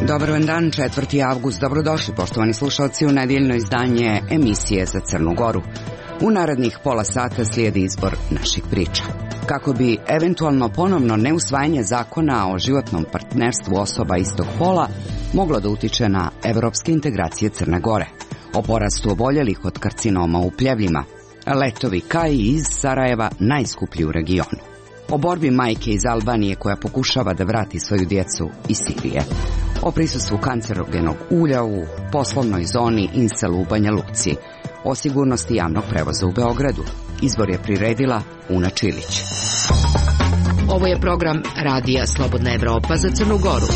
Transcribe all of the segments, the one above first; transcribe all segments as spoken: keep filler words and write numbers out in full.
Dobar vam dan, četvrti avgust. Dobrodošli, poštovani slušalci, u nedeljno izdanje emisije za Crnu Goru. U narednih pola sata slijedi izbor naših priča. Kako bi eventualno ponovno neusvajanje zakona o životnom partnerstvu osoba istog pola moglo da utiče na evropske integracije Crne Gore, o porastu oboljelih od karcinoma u pljevljima, letovi K I iz Sarajeva najskuplji u regionu, o borbi majke iz Albanije koja pokušava da vrati svoju djecu iz Sirije, o prisustvu kancerogenog ulja u poslovnoj zoni Insel u Banja Luci, o sigurnosti javnog prevoza u Beogradu. Izbor je priredila Una Čilić. Ovo je program Radija Slobodna Evropa za Crnu Goru.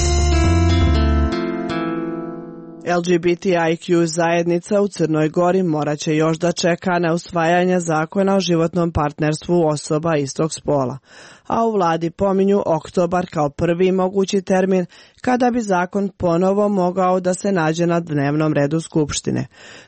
L G B T I Q zajednica u Crnoj Gori morat će još da čeka na usvajanje zakona o životnom partnerstvu osoba istog spola, a u vladi pominju oktobar kao prvi mogući termin kada bi zakon ponovo mogao da se nađe na dnevnom redu Skupštine.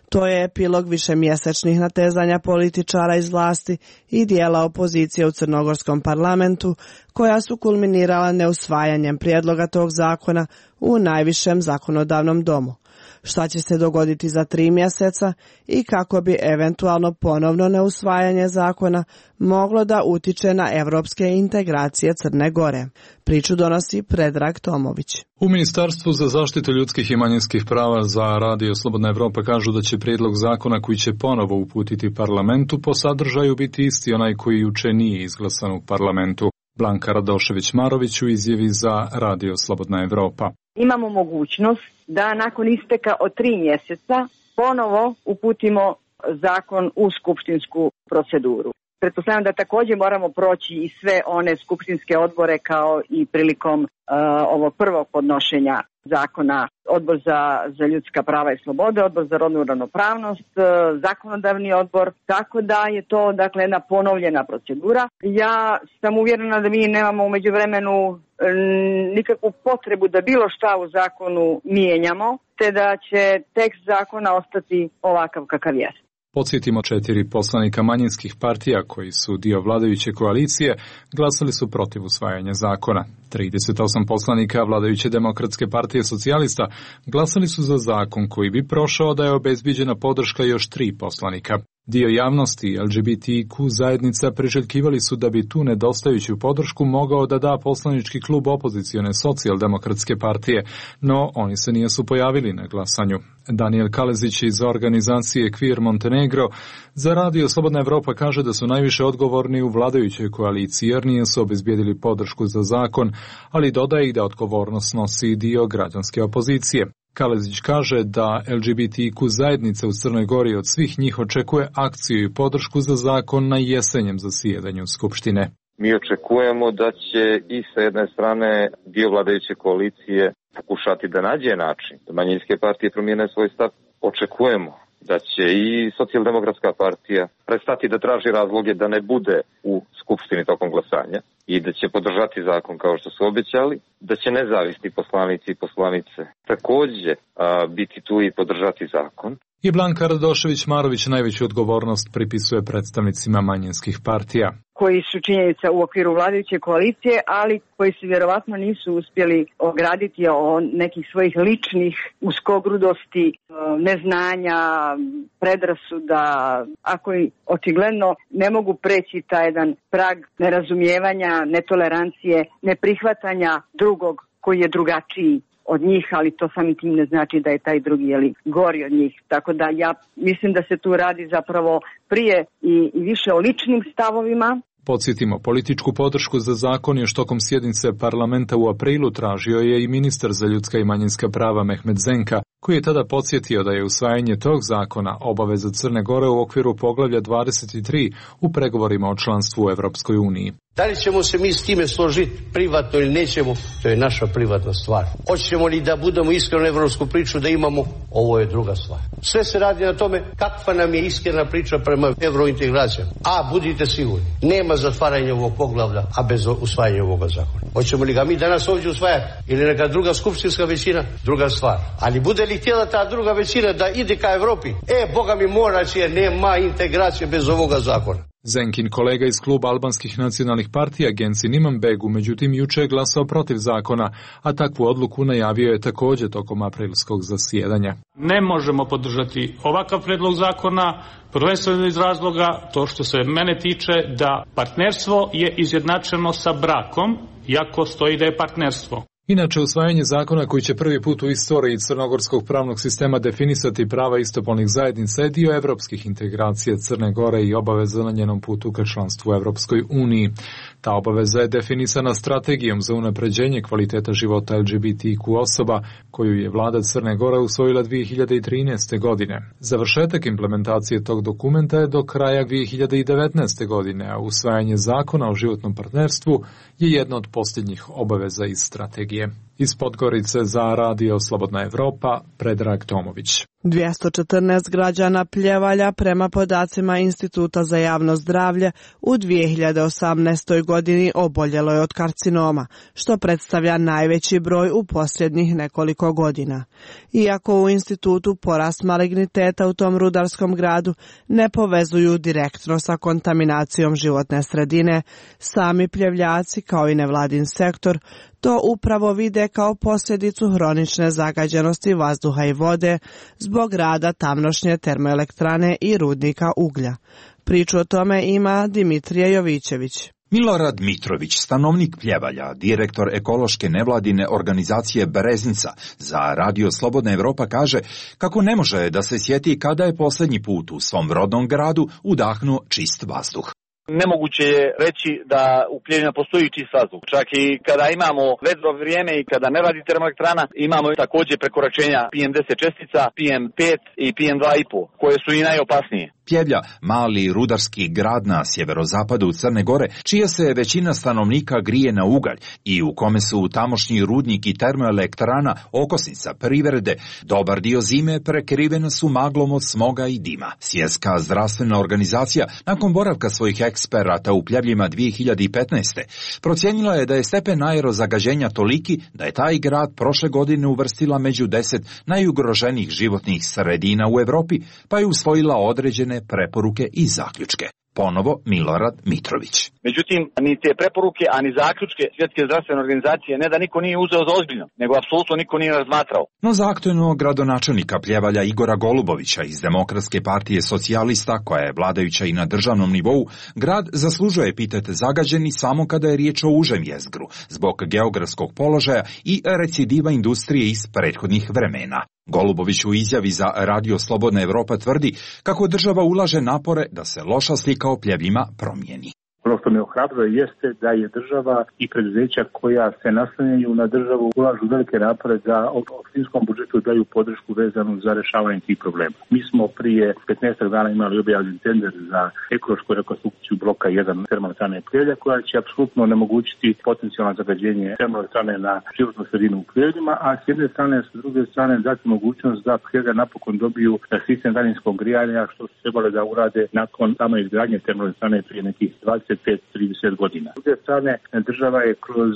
To je epilog višemjesečnih natezanja političara iz vlasti i dijela opozicije u crnogorskom parlamentu, koja su kulminirala neusvajanjem prijedloga tog zakona u najvišem zakonodavnom domu. Šta će se dogoditi za tri mjeseca i kako bi eventualno ponovno neusvajanje zakona moglo da utiče na evropske integracije Crne Gore. Priču donosi Predrag Tomović. U Ministarstvu za zaštitu ljudskih i manjinskih prava za Radio Slobodna Evropa kažu da će prijedlog zakona koji će ponovo uputiti parlamentu po sadržaju biti isti onaj koji juče nije izglasan u parlamentu. Blanka Radošević-Marović u izjavi za Radio Slobodna Evropa. Imamo mogućnost da nakon isteka od tri mjeseca ponovo uputimo zakon u skupštinsku proceduru. Pretpostavljam da također moramo proći i sve one skupštinske odbore kao i prilikom uh, ovog prvog podnošenja zakona, odbor za, za ljudska prava i slobode, odbor za rodnu ravnopravnost, uh, zakonodavni odbor, tako da je to dakle jedna ponovljena procedura. Ja sam uvjerena da mi nemamo u međuvremenu um, nikakvu potrebu da bilo šta u zakonu mijenjamo, te da će tekst zakona ostati ovakav kakav jest. Podsjetimo, četiri poslanika manjinskih partija koji su dio vladajuće koalicije glasali su protiv usvajanja zakona. trideset osam poslanika vladajuće Demokratske partije socijalista glasali su za zakon koji bi prošao da je obezbiđena podrška još tri poslanika. Dio javnosti L G B T Q zajednica priželjkivali su da bi tu nedostajuću podršku mogao da da poslanički klub opozicione socijaldemokratske partije, no oni se nisu pojavili na glasanju. Daniel Kalezić iz organizacije Queer Montenegro za Radio Slobodna Evropa kaže da su najviše odgovorni u vladajućoj koaliciji jer nisu obezbijedili podršku za zakon, ali dodaje i da odgovornost nosi dio građanske opozicije. Kalezić kaže da L G B T Q zajednica u Crnoj Gori od svih njih očekuje akciju i podršku za zakon na jesenjem zasjedanju Skupštine. Mi očekujemo da će i sa jedne strane dio vladajuće koalicije pokušati da nađe način da manjinske partije promijene svoj stav. Očekujemo da će i socijaldemokratska partija prestati da traži razloge da ne bude u Skupštini tokom glasanja i da će podržati zakon kao što su obećali, da će nezavisni poslanici i poslanice također a, biti tu i podržati zakon. I Blanka Radošević-Marović najveću odgovornost pripisuje predstavnicima manjinskih partija, koji su činjenica u okviru vladajuće koalicije, ali koji se vjerovatno nisu uspjeli ograditi o nekih svojih ličnih uskogrudosti, neznanja, predrasuda, a koji očigledno ne mogu preći taj jedan prag nerazumijevanja, netolerancije, neprihvatanja drugog koji je drugačiji od njih, ali to samim tim ne znači da je taj drugi jeli, gori od njih. Tako da ja mislim da se tu radi zapravo prije i, i više o ličnim stavovima. Podsjetimo, političku podršku za zakon još tokom sjednice parlamenta u aprilu tražio je i ministar za ljudska i manjinska prava Mehmet Zenka, koji je tada podsjetio da je usvajanje tog zakona obaveza Crne Gore u okviru poglavlja dvadeset tri u pregovorima o članstvu u Evropskoj uniji. Da li ćemo se mi s time složiti privatno ili nećemo, to je naša privatna stvar. Hoćemo li da budemo iskreno evropsku priču da imamo, ovo je druga stvar. Sve se radi na tome kakva nam je iskrena priča prema evrointegracijama. A budite sigurni, nema zatvaranja ovog poglavlja, a bez usvajanja ovoga zakona. Hoćemo li ga mi danas ovdje usvajati ili neka druga skupštinska većina, druga stvar. Ali bude li htjela ta druga većina da ide ka Evropi, e, Boga mi mora će, jer nema integracije bez ovoga zakona. Zenkin kolega iz kluba albanskih nacionalnih partija Genci Imanbegu međutim juče je glasao protiv zakona, a takvu odluku najavio je također tokom aprilskog zasjedanja. Ne možemo podržati ovakav predlog zakona, prvenstveno iz razloga to što se mene tiče da partnerstvo je izjednačeno sa brakom, iako stoji da je partnerstvo. Inače, usvajanje zakona koji će prvi put u istoriji crnogorskog pravnog sistema definisati prava istopolnih zajednica je dio evropskih integracija Crne Gore i obaveza na njenom putu ka članstvu u Evropskoj uniji. Ta obaveza je definisana strategijom za unapređenje kvaliteta života L G B T Q osoba, koju je vlada Crne Gore usvojila dvije hiljade trinaeste. godine. Završetak implementacije tog dokumenta je do kraja dvije hiljade devetnaeste. godine, a usvajanje zakona o životnom partnerstvu je jedna od posljednjih obaveza iz strategije. Iz Podgorice za Radio Slobodna Evropa, Predrag Tomović. dvjesto četrnaest građana Pljevalja prema podacima Instituta za javno zdravlje u dvije hiljade osamnaestoj. godini oboljelo je od karcinoma, što predstavlja najveći broj u posljednjih nekoliko godina. Iako u institutu porast maligniteta u tom rudarskom gradu ne povezuju direktno sa kontaminacijom životne sredine, sami Pljevljaci kao i nevladin sektor to upravo vide kao posljedicu hronične zagađenosti vazduha i vode zbog rada tamnošnje termoelektrane i rudnika uglja. Priču o tome ima Dimitrije Jovićević. Milorad Mitrović, stanovnik Pljevalja, direktor ekološke nevladine organizacije Breznica, za Radio Slobodna Evropa kaže kako ne može da se sjeti kada je posljednji put u svom rodnom gradu udahnuo čist vazduh. Nemoguće je reći da u Pljevljima postoji čist vazduh. Čak i kada imamo vedro vrijeme i kada ne radi termoelektrana, imamo također prekoračenja P M deset čestica, P M pet i P M dva i pet, koje su i najopasnije. Pljevlja, mali rudarski grad na sjeverozapadu Crne Gore, čija se većina stanovnika grije na ugalj i u kome su tamošnji rudnik i termoelektrana okosnica privrede, dobar dio zime prekrivena su maglom od smoga i dima. Svjetska zdravstvena organizacija, nakon boravka svojih eksperata u Pljevljima dvije hiljade petnaeste. procijenila je da je stepen aerozagađenja toliki da je taj grad prošle godine uvrstila među deset najugroženijih životnih sredina u Europi, pa je usvojila određene preporuke i zaključke. Ponovo Milorad Mitrović. Međutim, ni te preporuke, a ni zaključke Svjetske zdravstvene organizacije ne da niko nije uzeo za ozbiljno, nego apsolutno niko nije razmatrao. No za aktualnog gradonačelnika Pljevalja Igora Golubovića iz Demokratske partije socijalista, koja je vladajuća i na državnom nivou, grad zaslužuje epitete zagađeni samo kada je riječ o užem jezgru, zbog geografskog položaja i recidiva industrije iz prethodnih vremena. Golubović u izjavi za Radio Slobodna Evropa tvrdi kako država ulaže napore da se loša slika o Pljevljima promijeni. Ono što me ohrabruje jeste da je država i preduzeća koja se naslanjaju na državu ulažu velike napore da u opštinskom budžetu daju podršku vezanu za rješavanje tih problema. Mi smo prije petnaest dana imali objavljen tender za ekološku rekonstrukciju bloka jedan termoelektrane Pljevlja, koja će apsolutno onemogućiti potencijalno zagađenje termoelektrane na životnu sredinu u Pljevljima, a s jedne strane, s druge strane dati mogućnost da Pljevlja napokon dobiju sistem daljinskog grijanja, što su trebali da urade nakon same izgradnje termoelektrane prije nekih dvadeset pet do trideset godina. S druge strane, država je kroz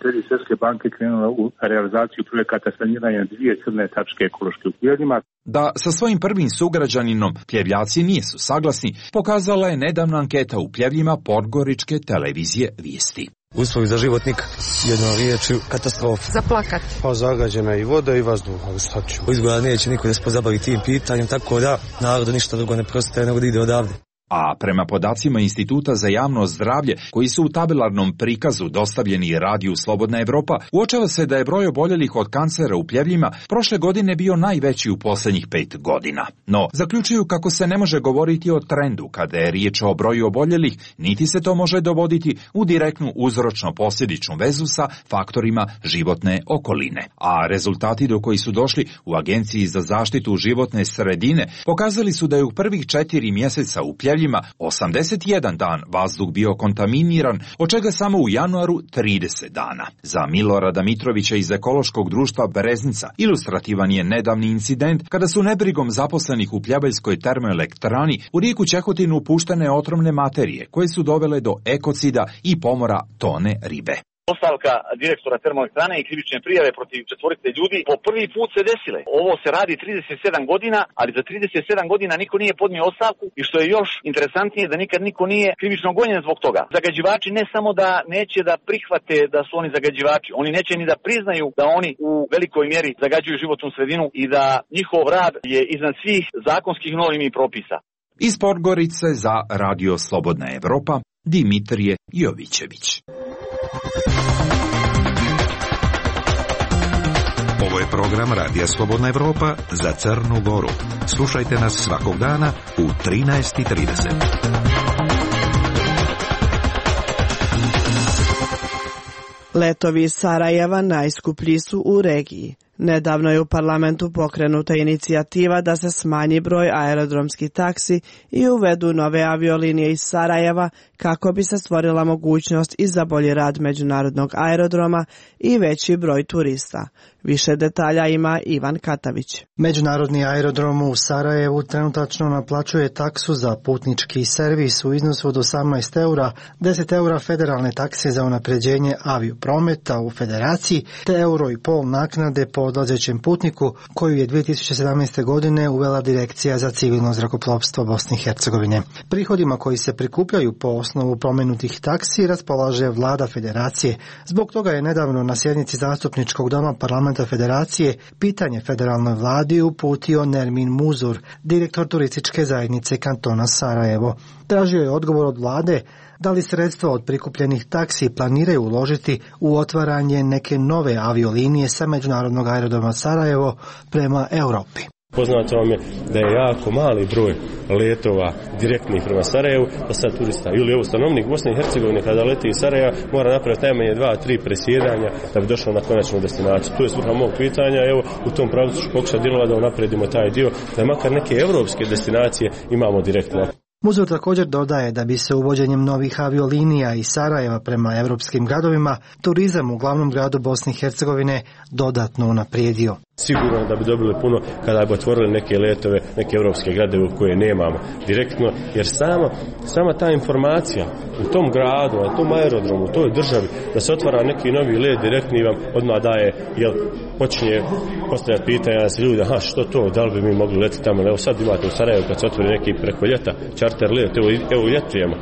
kredit Svjetske banke krenula u realizaciju projekata saniranja dvije crne tačke ekološke u Pljevljima. Da sa svojim prvim sugrađaninom Pljevljaci nisu saglasni, pokazala je nedavna anketa u Pljevljima Podgoričke televizije Vijesti. Uslovi za život nikak. Jednom riječju katastrofa. Za plakat. Pa zagađena i voda i vazduh, ali šta ću. Izgleda neće niko da se pozabavi tim pitanjem, tako da narodu ništa drugo ne preostaje nego da ide odavde. A prema podacima Instituta za javno zdravlje, koji su u tabelarnom prikazu dostavljeni Radiju Slobodna Evropa, uočava se da je broj oboljelih od kancera u Pljevljima prošle godine bio najveći u posljednjih pet godina. No, zaključuju kako se ne može govoriti o trendu kada je riječ o broju oboljelih, niti se to može dovoditi u direktnu uzročno-posljedičnu vezu sa faktorima životne okoline. A rezultati do koji su došli u Agenciji za zaštitu životne sredine pokazali su da je u prvih četiri mjeseca u Pljevljima osamdeset jedan dan vazduh bio kontaminiran, od čega samo u januaru trideset dana. Za Milorada Mitrovića iz ekološkog društva Breznica ilustrativan je nedavni incident kada su nebrigom zaposlenih u Pljevaljskoj termoelektrani u rijeku Čehotinu upuštene otrovne materije koje su dovele do ekocida i pomora tone ribe. Ostavka direktora termoelektrane i krivične prijave protiv četvorice ljudi po prvi put se desile. Ovo se radi trideset sedam godina, ali za trideset sedam godina niko nije podnio ostavku i što je još interesantnije da nikad niko nije krivično gonjen zbog toga. Zagađivači ne samo da neće da prihvate da su oni zagađivači, oni neće ni da priznaju da oni u velikoj mjeri zagađuju životnu sredinu i da njihov rad je iznad svih zakonskih normi i propisa. Iz Podgorice za Radio Slobodna Evropa, Dimitrije Jovićević. Ovo je program Radija Slobodna Evropa za Crnu Goru. Slušajte nas svakog dana u trinaest i trideset. Letovi iz Sarajeva najskuplji su u regiji. Nedavno je u parlamentu pokrenuta inicijativa da se smanji broj aerodromskih taksi i uvedu nove aviolinije iz Sarajeva kako bi se stvorila mogućnost i za bolji rad međunarodnog aerodroma i veći broj turista. Više detalja ima Ivan Katavić. Međunarodni aerodrom u Sarajevu trenutačno naplaćuje taksu za putnički servis u iznosu od osamnaest eura, deset eura federalne takse za unapređenje avioprometa u federaciji, te euro i pol naknade po odlazećem putniku koju je dvije tisuće sedamnaeste. godine uvela Direkcija za civilno zrakoplovstvo Bosne i Hercegovine. Prihodima koji se prikupljaju po osnovu pomenutih taksi raspolaže vlada federacije. Zbog toga je nedavno na sjednici zastupničkog doma parlamenta federacije pitanje federalnoj vladi uputio Nermin Muzur, direktor turističke zajednice kantona Sarajevo. Tražio je odgovor od vlade da li sredstva od prikupljenih taksi planiraju uložiti u otvaranje neke nove aviolinije sa međunarodnog aerodroma Sarajevo prema Europi. Poznato vam je da je jako mali broj letova direktnih prema Sarajevu, da sad turista ili evo stanovnik Bosne i Hercegovine kada leti iz Sarajeva mora napraviti najmanje dva, tri presjedanja da bi došao na konačnu destinaciju. To je svrha mog pitanja, evo u tom pravcu ću pokušati djelovati da unapredimo taj dio, da makar neke evropske destinacije imamo direktno. Muzur također dodaje da bi se uvođenjem novih aviolinija iz Sarajeva prema evropskim gradovima turizam u glavnom gradu Bosne i Hercegovine dodatno unaprijedio. Sigurno da bi dobili puno kada bi otvorili neke letove, neke evropske gradove koje nemamo direktno, jer sama, sama ta informacija u tom gradu, na tom aerodromu, u toj državi, da se otvara neki novi let direktni vam odmah daje, jel, počinje postavljati pitanja da se ljudi, aha, što to, da li bi mi mogli letiti tamo, evo sad imate u Sarajevu kad se otvori neki preko ljeta čarter let, evo, evo ljetujemo.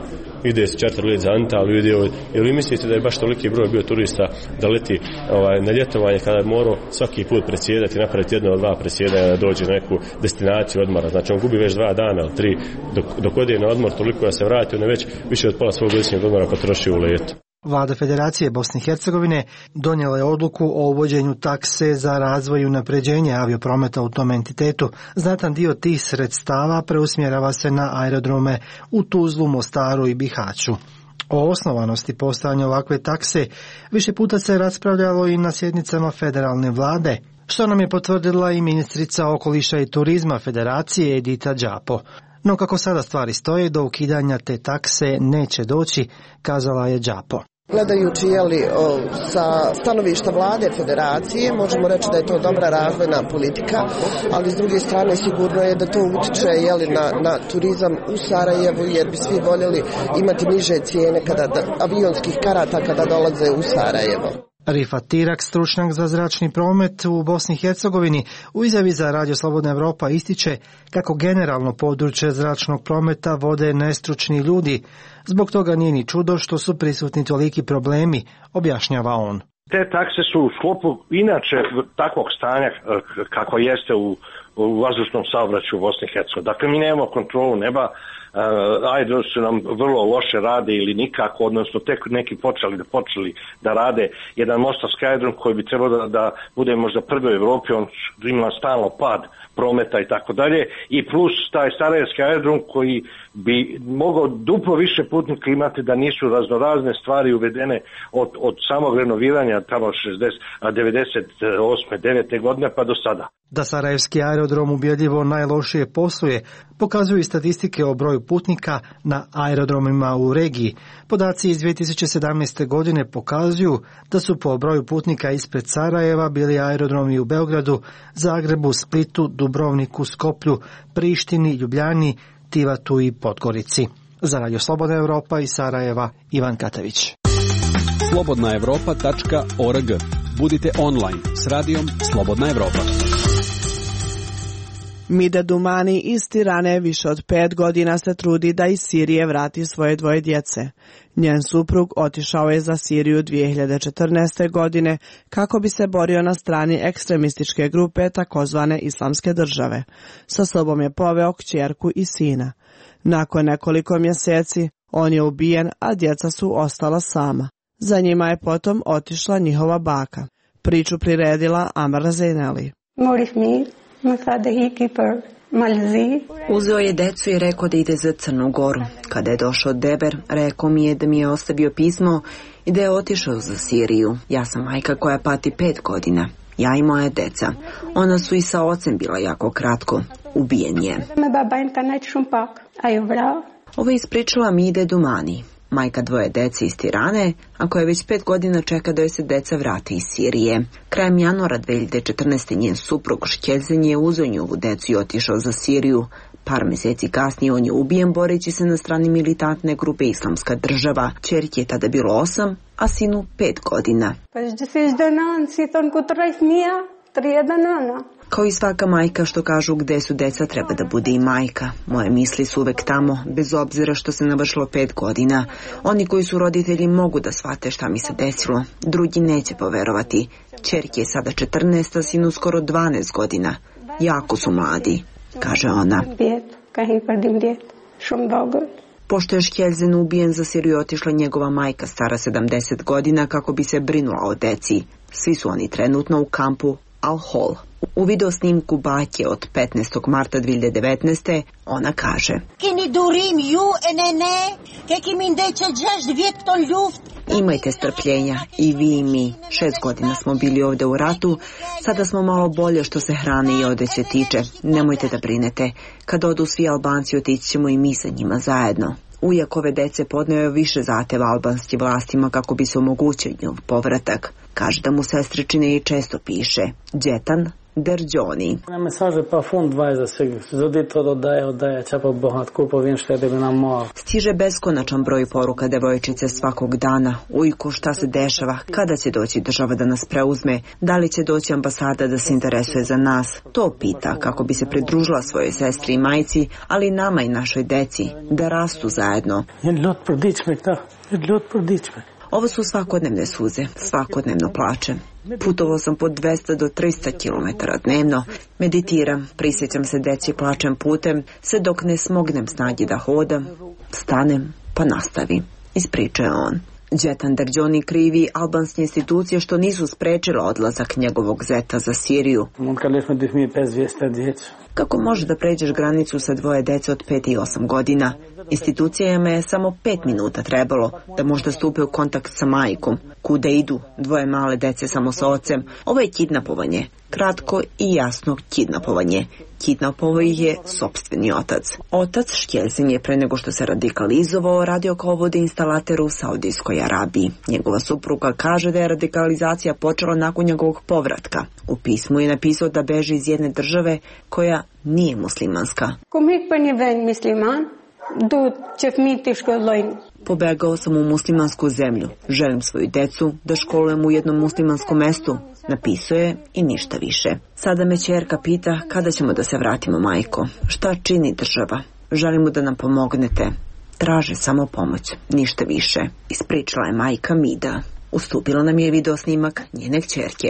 Ide se čarter let za Antaliju, ide, jer vi mislite da je baš toliki broj bio turista da leti ovaj, na ljetovanje kada je morao svaki put predsjedati, napraviti jedno od dva predsjedanja da dođe na neku destinaciju odmora. Znači on gubi već dva dana ili tri dok, dok ode na odmor toliko da se vrati, on je već više od pola svog godišnjeg odmora potrošio u letu. Vlada Federacije Bosne i Hercegovine donijela je odluku o uvođenju takse za razvoj i unapređenje avioprometa u tom entitetu. Znatan dio tih sredstava preusmjerava se na aerodrome u Tuzlu, Mostaru i Bihaću. O osnovanosti postojanja ovakve takse više puta se raspravljalo i na sjednicama federalne vlade, što nam je potvrdila i ministrica okoliša i turizma Federacije Edita Đapo. No kako sada stvari stoje, do ukidanja te takse neće doći, kazala je Đapo. Gledajući jeli, o, sa stanovišta vlade federacije, možemo reći da je to dobra razvojna politika, ali s druge strane sigurno je da to utiče jeli, na, na turizam u Sarajevu, jer bi svi voljeli imati niže cijene kada, da, avionskih karata kada dolaze u Sarajevo. Rifat Tirak, stručnjak za zračni promet u Bosni i Hercegovini, u izjavi za Radio Slobodna Evropa ističe kako generalno područje zračnog prometa vode nestručni ljudi. Zbog toga nije ni čudo što su prisutni toliki problemi, objašnjava on. Te takse su u sklopu inače takvog stanja kako jeste u, u vazdušnom saobraćaju u Bosni i Hercegovini. Dakle, mi nemamo kontrolu neba, Uh, aerodromi su nam vrlo loše rade ili nikako, odnosno tek neki počeli da počeli da rade jedan mostarski aerodrom koji bi trebao da, da bude možda prvi u Evropi, on ima stalno pad prometa i tako dalje, i plus taj sarajevski aerodrom koji bi mogao duplo više putnika imati da nisu raznorazne stvari uvedene od, od samog renoviranja tamo šezdeset, devedeset osme, devete godine pa do sada. Da sarajevski aerodrom ubjedljivo najlošije posluje, pokazuju i statistike o broju putnika na aerodromima u regiji. Podaci iz dvije tisuće sedamnaeste. godine pokazuju da su po broju putnika ispred Sarajeva bili aerodromi u Beogradu, Zagrebu, Splitu, Dubrovniku, Skoplju, Prištini, Ljubljani, Tivatu i Podgorici. Za Radio Slobodna Evropa iz Sarajeva, Ivan Katavić. slobodna evropa tačka org. Budite online s radijom Slobodna Evropa. Mida Dumani iz Tirane više od pet godina se trudi da iz Sirije vrati svoje dvoje djece. Njen suprug otišao je za Siriju dvije hiljade četrnaeste. godine kako bi se borio na strani ekstremističke grupe takozvane Islamske države. Sa sobom je poveo kćerku i sina. Nakon nekoliko mjeseci on je ubijen, a djeca su ostala sama. Za njima je potom otišla njihova baka. Priču priredila Amra Zaineli. Uzeo je decu i rekao da ide za Crnu Goru. Kada je došao Deber, rekao mi je da mi je ostavio pismo i da je otišao za Siriju. Ja sam majka koja pati pet godina. Ja i moja deca. Ona su i sa ocem bila jako kratko. Ubijen je. Ovo je ispričala Mide Dumani, majka dvoje dece iz Tirane, a koja već pet godina čeka da joj se deca vrati iz Sirije. Krajem januara dvije hiljade četrnaeste. njen suprug Škelzen je uzeo njihovu decu i otišao za Siriju. Par mjeseci kasnije on je ubijen boreći se na strani militantne grupe Islamska država. Ćerki je tada bilo osam, a sinu pet godina. Kao i svaka majka što kažu gde su deca treba da bude i majka. Moje misli su uvek tamo, bez obzira što se navršilo pet godina. Oni koji su roditelji mogu da shvate šta mi se desilo. Drugi neće poverovati. Ćerki je sada četrnaest, a sinu skoro dvanaest godina. Jako su mladi, kaže ona. Pošto je Škelzen ubijen, za Siriju otišla njegova majka stara sedamdeset godina kako bi se brinula o deci. Svi su oni trenutno u kampu Al-Hol. U video snimku bake od petnaestog marta dvije hiljade devetnaeste. ona kaže: Imajte strpljenja, i vi i mi. Šest godina smo bili ovdje u ratu, sada smo malo bolje što se hrane i odeće tiče. Nemojte da brinete, kad odu svi Albanci otići ćemo i mi sa njima zajedno. Ujak ove dece podneo je više zahteva albanskim vlastima kako bi se omogućio njov povratak. Kaže da mu sestričine i često piše. Džetan Derđoni. Stiže beskonačan broj poruka devojčice svakog dana. Ujku, šta se dešava? Kada će doći država da nas preuzme? Da li će doći ambasada da se interesuje za nas? To pita kako bi se pridružila svojoj sestri i majci, ali i nama i našoj deci, da rastu zajedno. Ovo su svakodnevne suze, svakodnevno plačem. Putovao sam po dvesta do trista kilometara dnevno, meditiram, prisjećam se deci plačem putem, sve dok ne smognem snagi da hodam, stanem pa nastavim, ispričao je on. Džetan Derđoni krivi albanske institucije što nisu sprečile odlazak njegovog zeta za Siriju. Kako može da pređeš granicu sa dvoje dece od pet i osam godina? Institucijama je samo pet minuta trebalo da možda stupe u kontakt sa majkom. Kuda idu? Dvoje male dece samo sa ocem. Ovo je kidnapovanje. Kratko i jasno kidnapovanje. Kidnapovao ih je sopstveni otac. Otac Škelzen je pre nego što se radikalizovao radio kao vodoinstalater u Saudijskoj Arabiji. Njegova supruga kaže da je radikalizacija počela nakon njegovog povratka. U pismu je napisao da beži iz jedne države koja nije muslimanska. Pobegao sam u muslimansku zemlju. Želim svoju decu da školujem u jednom muslimanskom mestu. Napisao je i ništa više. Sada me ćerka pita kada ćemo da se vratimo, majko. Šta čini država? Želimo da nam pomognete. Traže samo pomoć, ništa više. Ispričala je majka Mida. Ustupila nam je video snimak njene kćerke.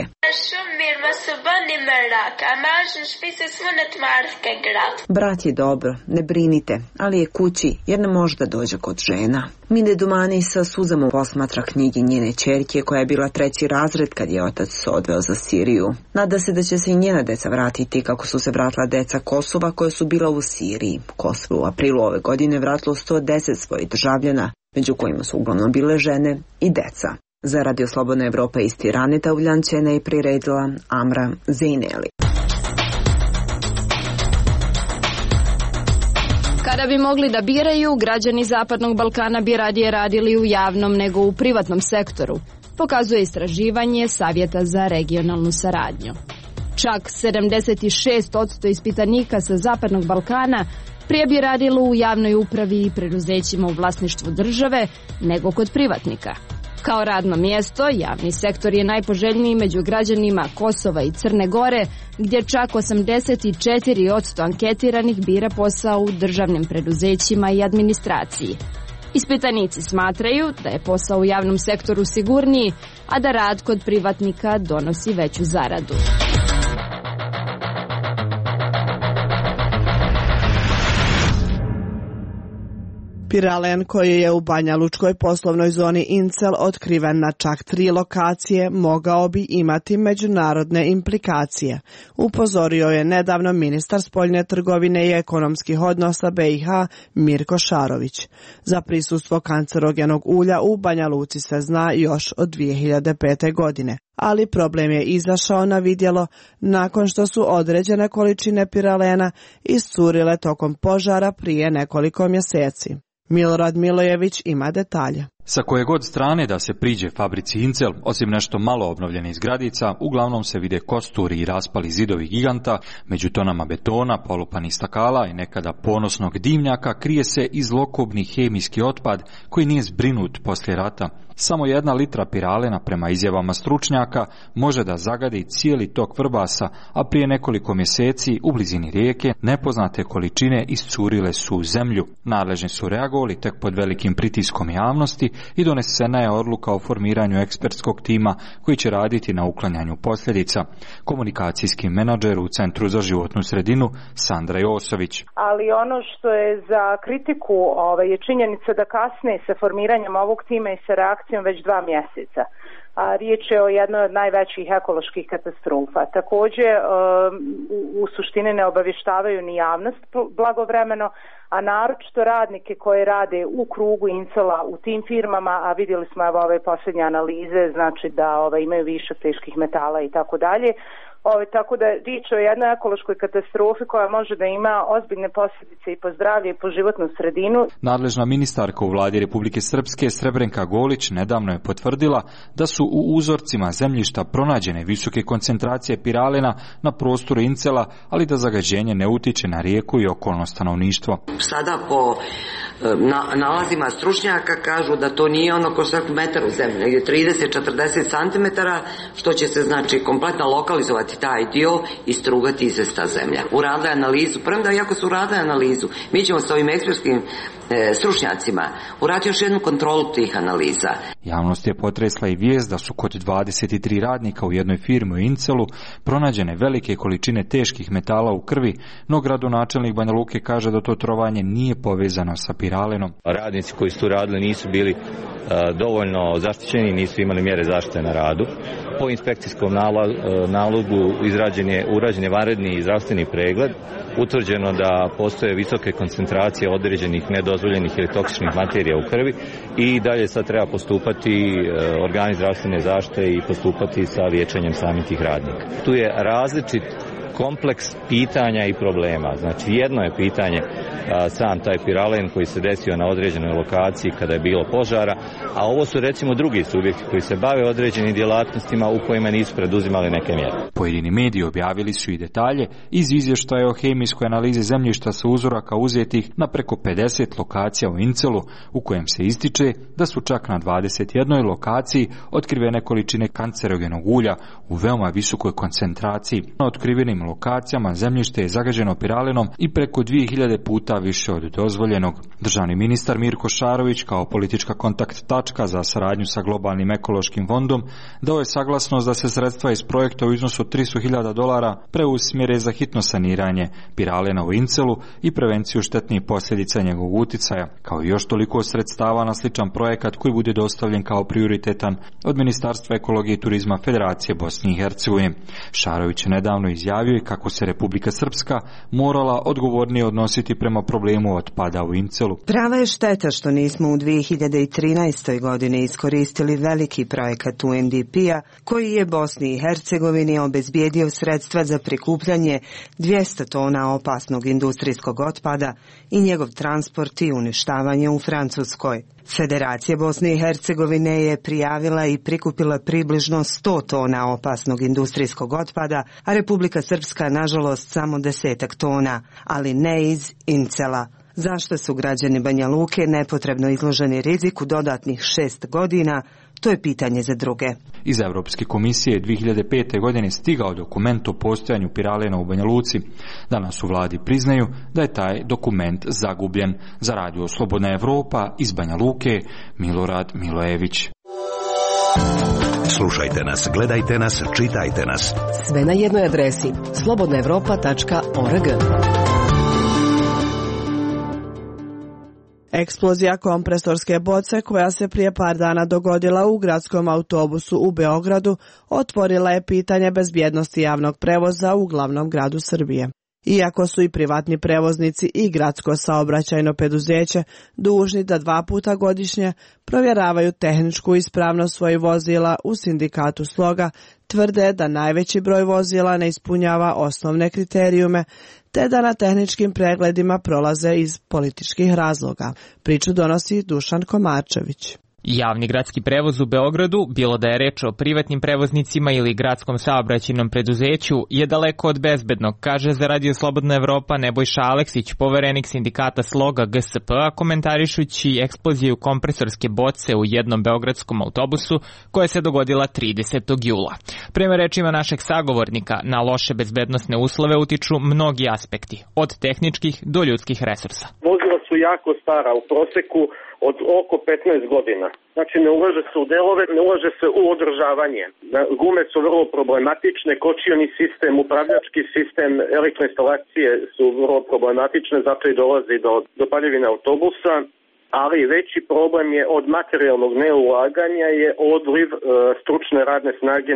Brat je dobro, ne brinite, ali je kući jer ne može da dođe kod žena. Mide Dumani sa suzama posmatra knjigi njene ćerke koja je bila treći razred kad je otac se odveo za Siriju. Nada se da će se i njena deca vratiti kako su se vratila deca Kosova koja su bila u Siriji. Kosovo u aprilu ove godine vratilo sto deset svojih državljana, među kojima su uglavnom bile žene i deca. Za Radio Slobodna Evropa iz Tirane Tavljančena je priredila Amra Zaineli. Kada bi mogli da biraju, građani Zapadnog Balkana bi radije radili u javnom nego u privatnom sektoru, pokazuje istraživanje Savjeta za regionalnu saradnju. Čak sedamdeset šest posto ispitanika sa Zapadnog Balkana prije bi radilo u javnoj upravi i preduzećima u vlasništvu države nego kod privatnika. Kao radno mjesto, javni sektor je najpoželjniji među građanima Kosova i Crne Gore, gdje čak osamdeset četiri posto anketiranih bira posao u državnim preduzećima i administraciji. Ispitanici smatraju da je posao u javnom sektoru sigurniji, a da rad kod privatnika donosi veću zaradu. Piralen, koji je u Banjalučkoj poslovnoj zoni Incel otkriven na čak tri lokacije, mogao bi imati međunarodne implikacije. Upozorio je nedavno ministar spoljne trgovine i ekonomskih odnosa B i H Mirko Šarović. Za prisustvo kancerogenog ulja u Banja Luci se zna još od dvije hiljade pete. godine. Ali problem je izašao na vidjelo nakon što su određene količine piralena iscurile tokom požara prije nekoliko mjeseci. Milorad Milojević ima detalje. Sa koje god strane da se priđe fabrici Incel, osim nešto malo obnovljenih zgradica, uglavnom se vide kosturi i raspali zidovi giganta, među tonama betona, polupanih stakala i nekada ponosnog dimnjaka krije se izlokobni hemijski otpad koji nije zbrinut poslije rata. Samo jedna litra piralena, prema izjavama stručnjaka, može da zagadi cijeli tok Vrbasa, a prije nekoliko mjeseci u blizini rijeke nepoznate količine iscurile su u zemlju. Nadležni su reagovali tek pod velikim pritiskom javnosti i donesena je odluka o formiranju ekspertskog tima koji će raditi na uklanjanju posljedica. Komunikacijski menadžer u Centru za životnu sredinu Sandra Josović. Ali ono što je za kritiku ove, je činjenica da kasne sa formiranjem ovog tima i sa reakcijom već dva mjeseca. A riječ je o jednoj od najvećih ekoloških katastrofa. Također u suštini ne obavještavaju ni javnost blagovremeno, a naročito radnike koji rade u krugu Incela u tim firmama, a vidjeli smo evo ove posljednje analize, znači da ove, imaju više teških metala i tako dalje. Ove, tako da riječ o jednoj ekološkoj katastrofi koja može da ima ozbiljne posljedice i po zdravlje i po životnu sredinu. Nadležna ministarka u vladi Republike Srpske Srebrenka Golić nedavno je potvrdila da su u uzorcima zemljišta pronađene visoke koncentracije piralena na prostoru Incela, ali da zagađenje ne utiče na rijeku i okolno stanovništvo. Sada po na, nalazima stručnjaka kažu da to nije ono ko svaki metar u zemlji, negdje trideset do četrdeset centimetara, što će se znači kompletno lokalizovati taj dio i strugati izvesta zemlja. Uradili analizu, premda iako su uradili analizu, mi ćemo s ovim ekspertskim e, stručnjacima uraditi još jednu kontrolu tih analiza. Javnost je potresla i vijest da su kod dvadeset tri radnika u jednoj firmi u Incelu pronađene velike količine teških metala u krvi, no gradonačelnik Banja Luke kaže da to trovanje nije povezano sa piralenom. Radnici koji su tu radili nisu bili uh, dovoljno zaštićeni, nisu imali mjere zaštite na radu. Po inspekcijskom nalogu izrađen je, urađen je vanredni zdravstveni pregled, utvrđeno da postoje visoke koncentracije određenih nedozvoljenih ili toksičnih materija u krvi i dalje sad treba postupati organi zdravstvene zaštite i postupati sa liječenjem samih tih radnika. Tu je različit kompleks pitanja i problema. Znači jedno je pitanje a, sam taj piralen koji se desio na određenoj lokaciji kada je bilo požara, a ovo su recimo drugi subjekti koji se bave određenim djelatnostima u kojima nisu preduzimali neke mjere. Pojedini mediji objavili su i detalje iz izvještaja o hemijskoj analizi zemljišta sa uzoraka uzetih na preko pedeset lokacija u Incelu, u kojem se ističe da su čak na dvadeset jednoj lokaciji otkrivene količine kancerogenog ulja u veoma visokoj koncentraciji. Na otkrivenim lokacijama zemljište je zagađeno piralenom i preko dvije hiljade puta više od dozvoljenog. Državni ministar Mirko Šarović kao politička kontakt tačka za saradnju sa globalnim ekološkim fondom dao je saglasnost da se sredstva iz projekta u iznosu od tristo hiljada dolara preusmjere za hitno saniranje piralena u Incelu i prevenciju štetnih posljedica njegovog uticaja, kao i još toliko sredstava na sličan projekat koji bude dostavljen kao prioritetan od Ministarstva ekologije i turizma Federacije Bosne i Hercegovine. Šarović je nedavno izjavio kako se Republika Srpska morala odgovornije odnositi prema problemu otpada u Incelu. Prava je šteta što nismo u dvije hiljade trinaestoj. godini iskoristili veliki projekat U N D P-a koji je Bosni i Hercegovini obezbijedio sredstva za prikupljanje dvjesto tona opasnog industrijskog otpada i njegov transport i uništavanje u Francuskoj. Federacija Bosne i Hercegovine je prijavila i prikupila približno sto tona opasnog industrijskog otpada, a Republika Srpska nažalost samo desetak tona, ali ne iz Incela. Zašto su građani Banja Luke nepotrebno izloženi riziku dodatnih šest godina, to je pitanje za druge. Iz Evropske komisije dvije hiljade pete. godine stigao dokument o postojanju piralena u Banja Luci. Danas u vladi priznaju da je taj dokument zagubljen. Za radio Slobodna Evropa iz Banja Luke, Milorad Milojević. Slušajte nas, gledajte nas, čitajte nas. Sve na jednoj adresi slobodna evropa tačka org. Eksplozija kompresorske boce koja se prije par dana dogodila u gradskom autobusu u Beogradu otvorila je pitanje bezbjednosti javnog prevoza u glavnom gradu Srbije. Iako su i privatni prevoznici i gradsko saobraćajno preduzeće dužni da dva puta godišnje provjeravaju tehničku ispravnost svojih vozila, u sindikatu Sloga tvrde da najveći broj vozila ne ispunjava osnovne kriterijume, te da na tehničkim pregledima prolaze iz političkih razloga. Priču donosi Dušan Komarčević. Javni gradski prevoz u Beogradu, bilo da je reč o privatnim prevoznicima ili gradskom saobraćajnom preduzeću, je daleko od bezbednog, kaže za Radio Slobodna Evropa Nebojša Aleksić, poverenik sindikata Sloga G S P-a, komentarišući eksploziju kompresorske boce u jednom beogradskom autobusu koja se dogodila tridesetog jula. Prema rečima našeg sagovornika, na loše bezbednosne uslove utiču mnogi aspekti, od tehničkih do ljudskih resursa. Vozila su jako stara, u proseku od oko petnaest godina. Znači ne ulaže se u delove, ne ulaže se u održavanje. Gume su vrlo problematične, kočioni sistem, upravljački sistem, elektroinstalacije su vrlo problematične, zato i dolazi do, do paljevine autobusa. Ali veći problem je od materijalnog neulaganja je odliv e, stručne radne snage.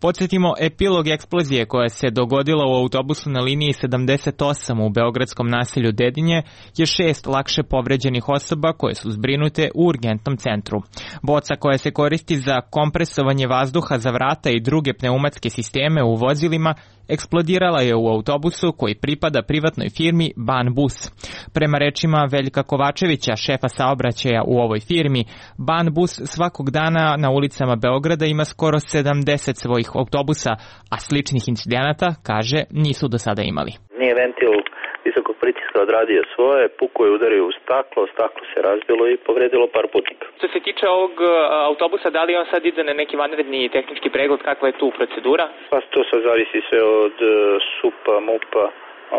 Podsjetimo, epilog eksplozije koja se dogodila u autobusu na liniji sedamdeset osam u beogradskom naselju Dedinje je šest lakše povređenih osoba koje su zbrinute u urgentnom centru. Boca koja se koristi za kompresovanje vazduha za vrata i druge pneumatske sisteme u vozilima eksplodirala je u autobusu koji pripada privatnoj firmi Banbus. Prema rečima Veljka Kovačevića, šefa saobraćaja u ovoj firmi, Banbus svakog dana na ulicama Beograda ima skoro sedamdeset svojih autobusa, a sličnih incidenata, kaže, nisu do sada imali. Nije ventil visokog pritiska odradio svoje, puko je udario u staklo, staklo se razbilo i povredilo par putnika. Što se tiče ovog autobusa, da li on sad ide na neki vanredni tehnički pregled, kakva je tu procedura? Pa to sad zavisi sve od S U P-a, M U P-a,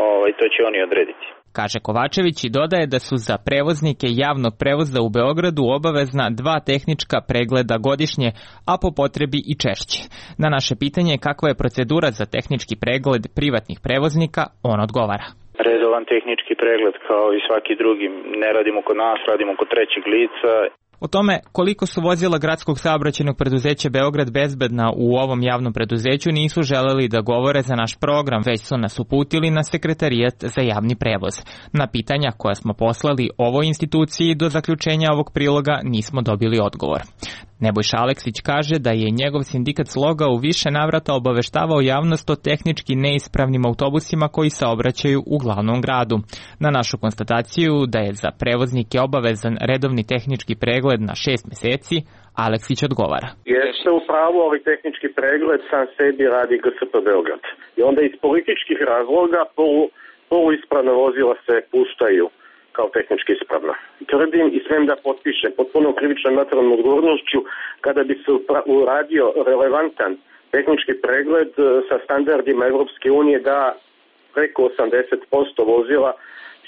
ovaj, to će oni odrediti. Kaže Kovačević i dodaje da su za prevoznike javnog prevoza u Beogradu obavezna dva tehnička pregleda godišnje, a po potrebi i češće. Na naše pitanje kakva je procedura za tehnički pregled privatnih prevoznika, on odgovara. Redovan tehnički pregled kao i svaki drugi. Ne radimo kod nas, radimo kod trećeg lica. O tome koliko su vozila gradskog saobraćajnog preduzeća Beograd bezbedna u ovom javnom preduzeću nisu želeli da govore za naš program, već su nas uputili na Sekretarijat za javni prevoz. Na pitanja koja smo poslali ovoj instituciji do zaključenja ovog priloga nismo dobili odgovor. Nebojša Aleksić kaže da je njegov sindikat Sloga u više navrata obaveštavao javnost o tehnički neispravnim autobusima koji saobraćaju u glavnom gradu. Na našu konstataciju da je za prevoznike obavezan redovni tehnički pregled na šest meseci, Aleksić odgovara. Jeste u pravu, ali tehnički pregled sam sebi radi G S P Beograd. I onda iz političkih razloga polu, poluispravna vozila se puštaju kao tehnički ispravna. Tvrdim i smem da potpišem potpuno krivičnom materijalnom odgovornošću kada bi se uradio relevantan tehnički pregled sa standardima Evropske unije da preko osamdeset posto vozila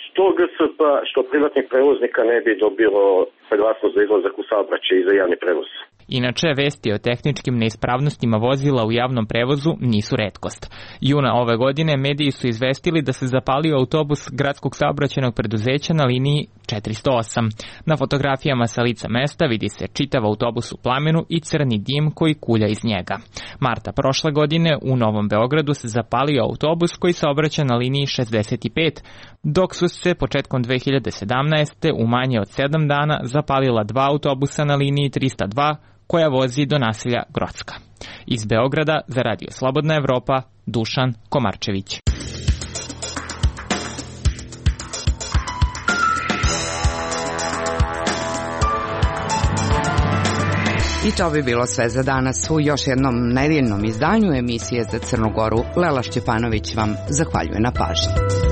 što G S P, što privatnih prevoznika ne bi dobilo saglasnost za izlazak u saobraćaj i za javni prevoz. Inače, vesti o tehničkim neispravnostima vozila u javnom prevozu nisu retkost. Juna ove godine mediji su izvestili da se zapalio autobus gradskog saobraćajnog preduzeća na liniji četiristo osam. Na fotografijama sa lica mesta vidi se čitav autobus u plamenu i crni dim koji kulja iz njega. Marta prošle godine u Novom Beogradu se zapalio autobus koji saobraća na liniji šezdeset pet, dok su se početkom dve hiljade sedamnaeste. u manje od sedam dana zapalila dva autobusa na liniji trista dva koja vozi do naselja Grocka. Iz Beograda za Radio Slobodna Evropa, Dušan Komarčević. I to bi bilo sve za danas u još jednom nedeljnom izdanju emisije za Crnu Goru. Lela Šćepanović vam zahvaljuje na pažnji.